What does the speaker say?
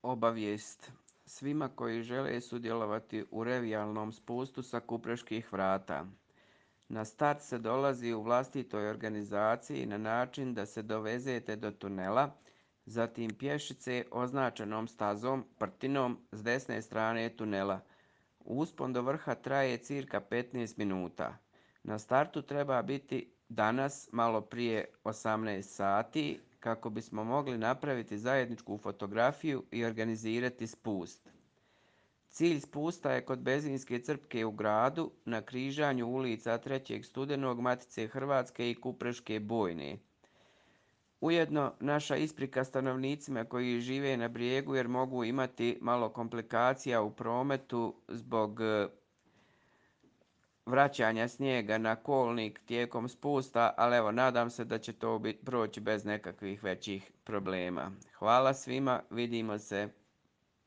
Obavijest svima koji žele sudjelovati u revijalnom spustu sa Kupreških vrata. Na start se dolazi u vlastitoj organizaciji na način da se dovezete do tunela, zatim pješice označenom stazom, prtinom s desne strane tunela. Uspon do vrha traje cirka 15 minuta. Na startu treba biti danas malo prije 18 sati kako bismo mogli napraviti zajedničku fotografiju i organizirati spust. Cilj spusta je kod benzinske crpke u gradu na križanju ulica 3. studenog Matice Hrvatske i Kupreške bojne. Ujedno naša isprika stanovnicima koji žive na brijegu jer mogu imati malo komplikacija u prometu zbog vraćanja snijega na kolnik tijekom spusta, ali evo nadam se da će to proći bez nekakvih većih problema. Hvala svima, vidimo se.